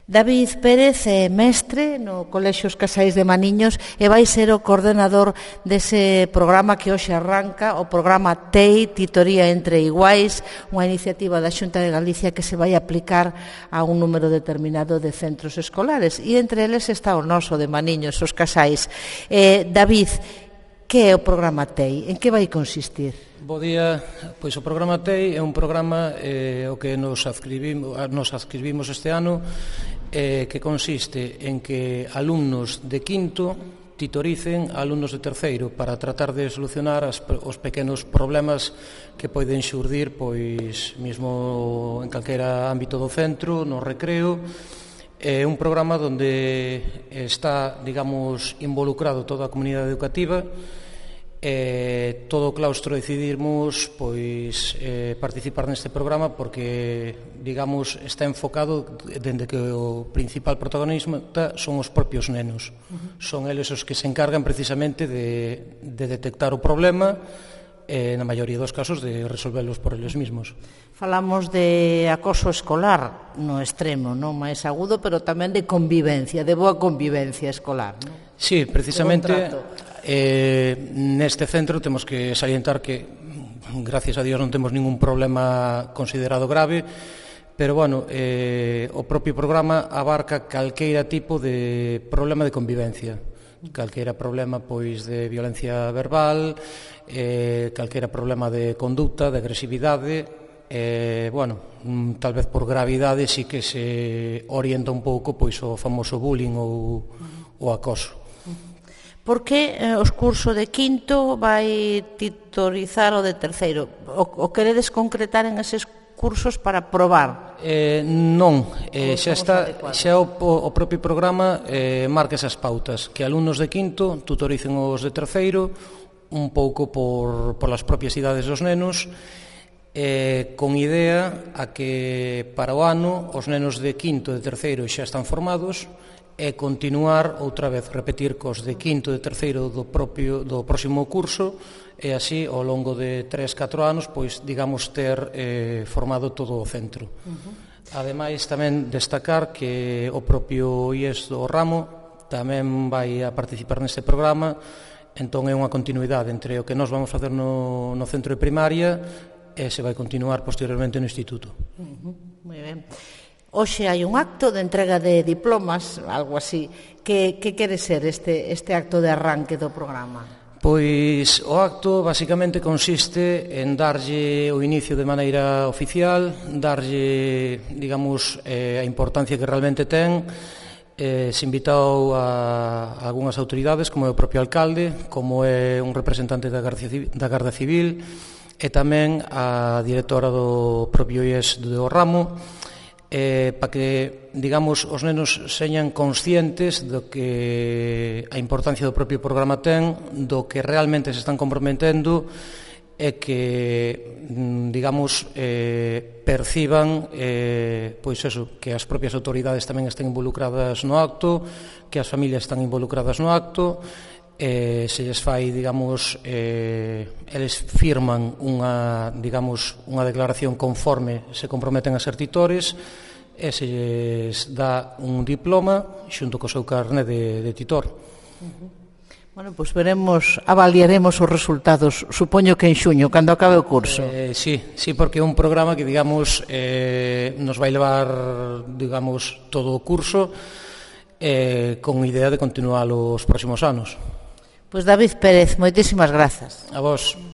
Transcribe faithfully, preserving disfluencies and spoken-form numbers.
David Pérez é mestre no Colexio Os Casais de Maniños e vai ser o coordenador dese programa que hoxe arranca, o programa T E I, Titoría entre Iguais, unha iniciativa da Xunta de Galicia que se vai aplicar a un número determinado de centros escolares e entre eles está o noso de Maniños, Os Casais. Eh, David, que é o programa T E I? En que vai consistir? Bo día, pois o programa T E I é un programa eh, o que nos adscribimos, nos adscribimos este ano eh, que consiste en que alumnos de quinto titoricen a alumnos de terceiro para tratar de solucionar as, os pequenos problemas que poden xurdir pois mesmo en calquera ámbito do centro, no recreo. É un programa onde está, digamos, involucrado toda a comunidade educativa. Eh, todo o claustro decidimos pois eh, participar neste programa porque, digamos, está enfocado dende que o principal protagonista son os propios nenos. Uh-huh. Son eles os que se encargan precisamente de, de detectar o problema e, na maioría dos casos, de resolvelos por eles mesmos. Falamos de acoso escolar no extremo, non máis agudo, pero tamén de convivencia, de boa convivencia escolar, non? Sí, precisamente eh, neste centro temos que salientar que, gracias a Dios, non temos ningún problema considerado grave, pero, bueno, eh, o propio programa abarca calqueira tipo de problema de convivencia, calqueira problema pois de violencia verbal, eh, calqueira problema de conducta, de agresividade. Eh, bueno, tal vez por gravidade sí que se orienta un pouco pois o famoso bullying ou o acoso. Por que eh, os cursos de quinto vai titorizar o de terceiro? O, o queredes concretar en eses cursos para probar? Eh, non, eh, xa está, xa o, o propio programa eh, marca esas pautas, que alumnos de quinto tutoricen os de terceiro un pouco por, por as propias idades dos nenos, eh, con idea a que para o ano os nenos de quinto e de terceiro xa están formados e continuar outra vez, repetir cos de quinto e de terceiro do propio do próximo curso e así ao longo de tres, catro anos pois digamos ter eh, formado todo o centro. Uh-huh. Ademais tamén destacar que o propio I E S do ramo tamén vai a participar neste programa, entón é unha continuidade entre o que nós vamos facer no, no centro de primaria e se vai continuar posteriormente no instituto. Uh-huh. Moi ben. Hoxe hai un acto de entrega de diplomas, algo así. Que, que quere ser este, este acto de arranque do programa? Pois o acto basicamente consiste en darlle o inicio de maneira oficial, darlle, digamos, eh, a importancia que realmente ten. Eh, se invitou a, a algunhas autoridades, como é o propio alcalde, como é un representante da Garda Civil, da Garda Civil e tamén a directora do propio I E S do ramo, eh, para que, digamos, os nenos señan conscientes do que a importancia do propio programa ten, do que realmente se están comprometendo e que, digamos, eh, perciban eh, pois eso, que as propias autoridades tamén estén involucradas no acto, que as familias están involucradas no acto, eh, se lles fai, digamos, eh, eles firman unha, digamos, unha declaración conforme se comprometen a ser titores e se lles dá un diploma xunto co seu carné de, de titor. Uh-huh. Bueno, pois pues veremos, avaliaremos os resultados, supoño que en xuño, cando acabe o curso. Eh, sí, sí, porque é un programa que, digamos, eh, nos vai levar, digamos, todo o curso eh, con idea de continuar os próximos anos. Pois David Pérez, moitísimas grazas. A vos.